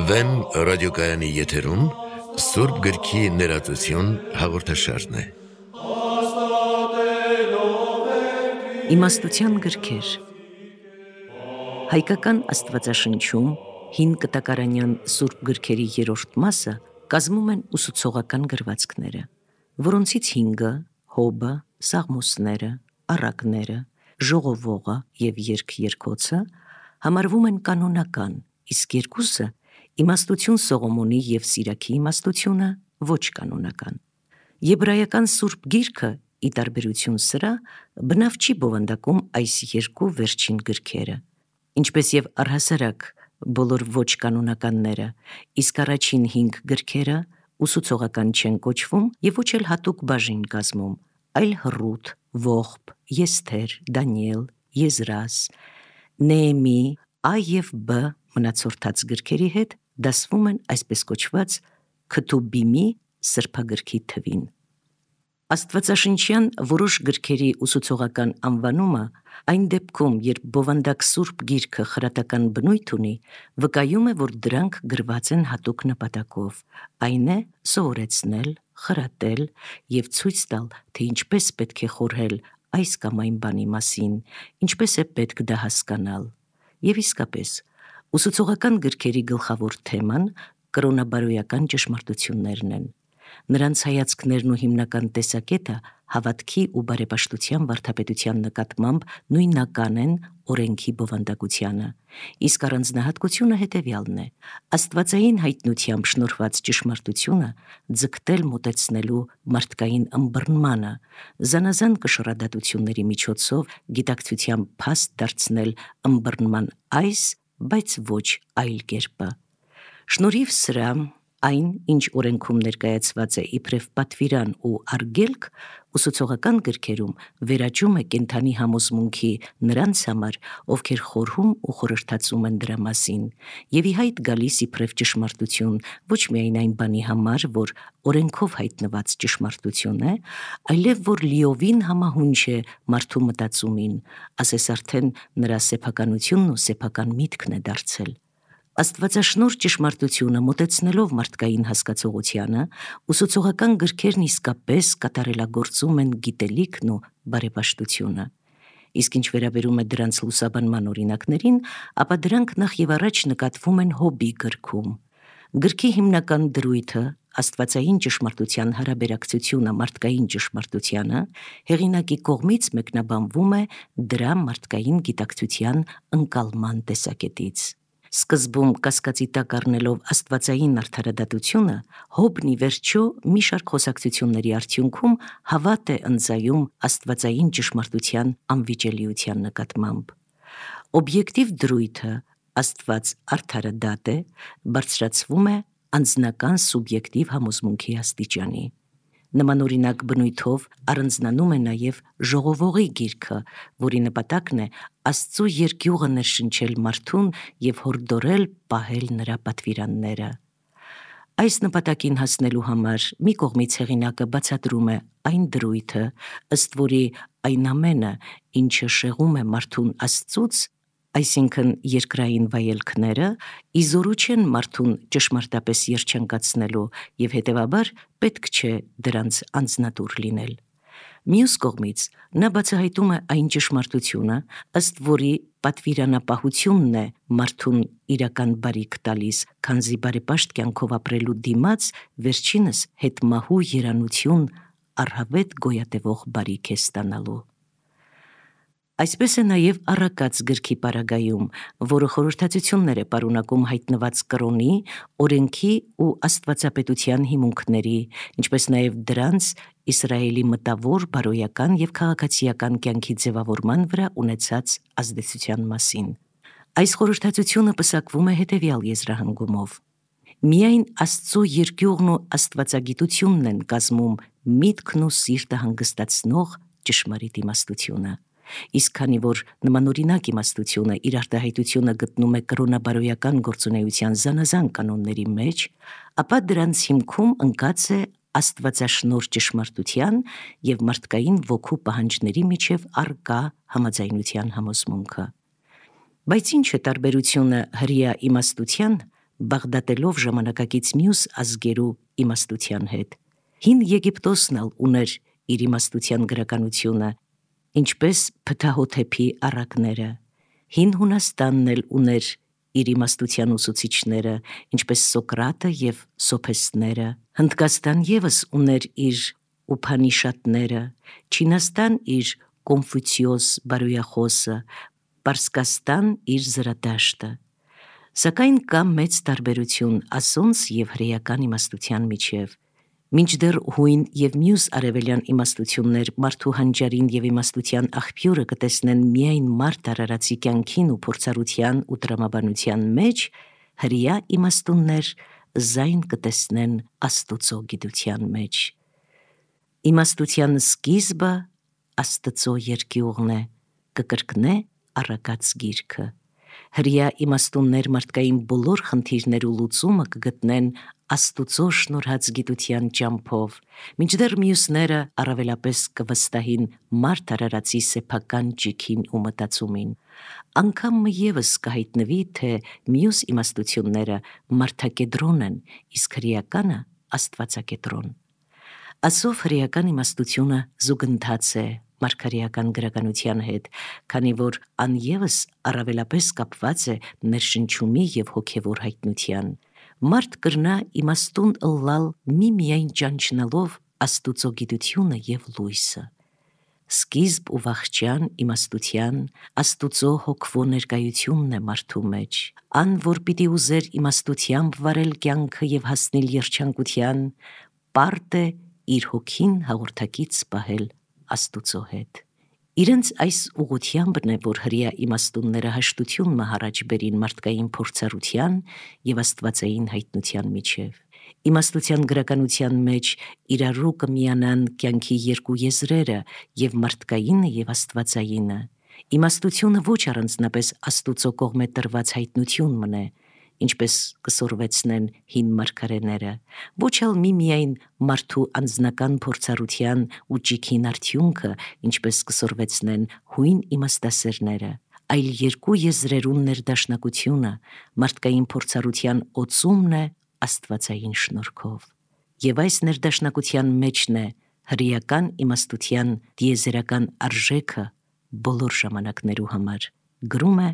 Վեմ ռադիոկայանի եթերում Սուրբ գրքի ներածություն հաղորդաշարն է։ Իմաստության գրքեր։ Հայկական աստվածաշնչում հին կտակարանյան սուրբ գրքերի երրորդ մասը կազմում են ուսուցողական գրվածքները, որոնցից 5-ը՝ Հոբը, Սաղմոսները, Առակները, Ժողովողը և Երգ-երկոցը համարվում են կանոնական, իսկ 2-ը՝ Իմաստություն Սողոմոնի և Սիրաքի իմաստությունը ոչ կանոնական։ Եբրայական սուրբ գիրքը, ի տարբերություն սրա, բնավ չի բովանդակում այս երկու վերջին գրքերը, ինչպես և առհասարակ բոլոր ոչ կանոնականները, իսկ առաջին 5 գրքերը ուսուցողական չեն կոչվում և ոչ էլ հատուկ բաժին կազմում, այլ Հռութ, Ողբ, Եսթեր, Դանիել, Եզրաս, Նեեմի, Ա և Բ մնացորդած գրքերի հետ դասվում են այսպես կոչված Քթուբիմի սրբագրքի թվին։ Աստվածաշնչյան որոշ գրքերի ուսուցողական անվանումը այն դեպքում, երբ բովանդակ սուրբ գիրքը խրատական բնույթ ունի, վկայում է, որ դրանք գրված են հատուկ նպատակով, այն է սովորեցնել, խրատել և ցույց տալ, թե ինչպես պետք է խորհել այս կամ այն բանի մասին, ինչպես է պետք դա հասկանալ։ Եվ իսկապես, ուսուցողական գրքերի գլխավոր թեման կրոնաբարոյական ճշմարտություններն են։ Նրանց հայացքներն ու հիմնական տեսակետը հավատքի ու բարեպաշտության վարդապետության նկատմամբ նույնական են օրենքի բովանդակությանը, իսկ առանձնահատկությունը հետևյալն է՝ աստվածային հայտնությամբ շնորհված ճշմարտությունը ձգտել մոտեցնելու մարդկային ըմբռնմանը, զանազան կշռադատությունների միջոցով գիտակցության փաստ դարձնել ըմբռնման այս, բայց ոչ այլ կերպը։ Շնորհիվ սրա, այն, ինչ օրենքում ներկայացված է իբրև պատվիրան ու արգելք, ուսուցողական գրքերում վերաճում է կենդանի համոզմունքի նրանց համար, ովքեր խորհում ու խորհրդածում են դրա մասին, և ի հայտ գալիս իբրև ճշմարտություն ոչ միայն այն բանի համար, որ օրենքով հայտնված ճշմարտություն է, այլև որ լիովին համահունչ է մարդու մտածումին, ասես արդեն նրա սեփականությունն ու սեփական միտքն է դարձել։ Աստվածաշնորհ ճշմարտությունը մոտեցնելով մարդկային հասկացողությանը, ուսուցողական գրքերն իսկապես կատարելագործում են գիտելիքն ու բարեպաշտությունը։ Իսկ ինչ վերաբերում է դրանց լուսաբանման օրինակներին, ապա դրանք նախ և առաջ նկատվում են Հոբի գրքում։ Գրքի հիմնական դրույթը, աստվածային ճշմարտության հարաբերակցությունը մարդկային ճշմարտությանը, հեղինակի կողմից մեկնաբանվում է դրա մարդկային գիտակցության ընկալման տեսակետից։ Սկզբում կասկածի տակ առնելով աստվածային արդարադատությունը, Հոբն ի վերջո մի շարք խոսակցությունների արդյունքում հավատ է ընծայում աստվածային ճշմարտության անվիճելիության նկատմամբ։ Օբյեկտիվ դրույթը, Աստված արդարադատ է, բարձրացվում է անձնական սուբյեկտիվ համոզմունքի աստիճանի։ Նմանօրինակ բնույթով առանձնանում է նաև Ժողովողի գիրքը, որի նպատակն է Աստծու երկյուղը ներշնչել մարդուն և հորդորել պահել նրա պատվիրանները։ Այս նպատակին հասնելու համար մի կողմից հեղինակը բացատրում է այն դրույթը, ըստ որի այն ամենը, ինչը շեղում է մարդուն Աստծուց, այսինքն երկրային վայելքները, ի զորու չեն մարդուն ճշմարտապես երջանկացնելու և հետևաբար պետք չէ դրանց անձնատուր լինել։ Մյուս կողմից նա բացահայտում է այն ճշմարտությունը, ըստ որի պատվիրանապահությունն է մարդուն իրական բարիք տալիս, քանզի բարեպաշտ կյանքով ապրելու դիմաց վերջինս հետմահու երանություն առհավետ գոյատևող բարիք է ստանալու։ Այսպես է նաև Առակաց գրքի պարագայում, որը խորհրդածություններ է պարունակում հայտնված կրոնի, օրենքի ու աստվածապետության հիմունքների, ինչպես նաև դրանց Իսրայելի մտավոր, բարոյական և քաղաքացիական կյանքի ձևավորման վրա ունեցած ազդեցության մասին։ Այս խորհրդածությունը պսակվում է հետևյալ եզրահանգումով. միայն Աստծու երկյուղն ու աստվածագիտությունն են կազմում միտքն ու սիրտը հանգստացնող ճշմարիտ իմաստությունը։ Իսկ քանի որ նմանօրինակ իմաստությունը իր արտահայտությունը գտնում է կրոնաբարոյական գործունեության զանազան կանոնների մեջ, ապա դրանց հիմքում ընկած է աստվածաշնորհ ճշմարտության և մարդկային ոգու պահանջների միջև առկա համաձայնության համոզմունքը։ Բայց ինչ է տարբերությունը հրեա իմաստության, բաղդատելով ժամանակակից մյուս ազգերու իմաստության հետ։ Հին Եգիպտոսն ալ ուներ իր իմաստության գրականությունը, ինչպես Փթահոթեփի առակները, հին Հունաստանն էլ ուներ իր իմաստության ուսուցիչները, ինչպես Սոկրատը և Սոփեստները, Հնդկաստան ևս ուներ իր Ուփանիշադները, Չինաստան իր Կոնֆուցիոս բարոյախոսը, Պարսկաստան իր Զրադաշտը։ Սակայն կա մեծ տարբերություն ասոնց և հրեական իմաստության միջև։ Մինչդեռ հույն և մյուս արևելյան իմաստություններ մարդու հանճարին և իմաստության աղբյուրը կտեսնեն միայն մարդ արարածի կյանքին ու փորձառության ու տրամաբանության մեջ, հրեա իմաստուններ զայն կտեսնեն Աստուծո գիտության մեջ։ Իմաստության սկիզբը Աստծո երկյուղն է, կկրկնե առակած գիրքը։ Հրեա իմաստուններ մարդկային բոլոր խնդիրներու լուծումը կգտնեն Աստուծո շնորհած գիտության ճամփով, մինչդեռ մյուսները առավելապես կվստահին մարդ արարածի սեփական ճիգին ու մտածումին։ Անգամ ևս կհայտնվի, թե մյուս իմաստությունները մարդակեդրոն են, իսկ հրեականը աստվածակեդրոն։ Ասով հրեական իմաստությունը զուգընթաց է մարգարեական գրականության հետ, քանի որ ան ևս առավելապես կապված է ներշնչումի և հոգևոր հայտնության։ Մարդ կրնա իմաստուն ըլլալ միմիայն ճանչնալով Աստուծո գիտությունը և լույսը։ Սկիզբ ու վախճան իմաստության Աստուծո հոգվո ներկայությունն է մարդու մեջ։ Ան, որ պիտի ուզեր իմաստությամբ վարել կյանքը և հասնել երջանկության, պարտ է իր հոգին հաղորդակից պահել Աստուծո հետ։ Իրենց այս ուղղությանբն է, որ հրեա իմաստունները հաշտություն մը առաջ բերին մարդկային փորձառության և աստվածային հայտնության միջև։ Իմաստության գրականության մեջ իրարու կմիանան կյանքի երկու եզրերը և մարդկայինը և աստվածայինը։ Իմաստությունը ոչ առանձնապես Աստուծո կողմէ տրված հայտնություն մնե, ինչպես կսորվեցնեն հին մարգարեները, ոչ ալ միմիայն մարդու անձնական փորձառության ու ճիգին արդյունքը, ինչպես կսորվեցնեն հույն իմաստասերները, այլ երկու եզրերուն ներդաշնակությունը, մարդկային փորձառության օծումն է աստվածային շնորհքով։ Եվ այս ներդաշնակության մեջն է հրեական իմաստության տիեզերական արժեքը բոլոր ժամանակներու համար, գրում է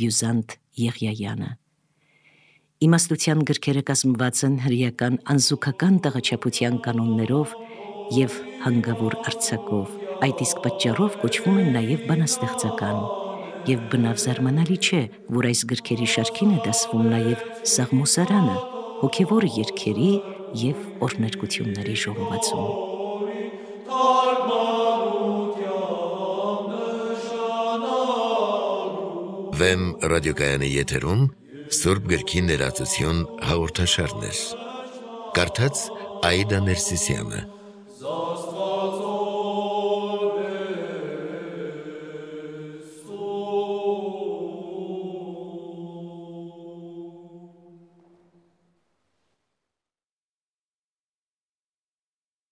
Բյուզանտ Եղիայանը։ Իմաստության գրքերը կազմված են հրեական անզուգական տղաչափության կանոններով և հանգավոր արձակով, այդ իսկ պատճառով կոչվում են նաև բանաստեղծական, և բնավ զարմանալի չէ, որ այս գրքերի շարքին է դասվում նաև Սաղմոսարանը, հոգևոր երգերի և օրհներգությունների ժողովածուն։ Վեմ ռադիոկայանի եթերում Սուրբ գրքի ներածություն հաղորդաշարներ։ Կարդաց Աիդա Ներսիսյանը։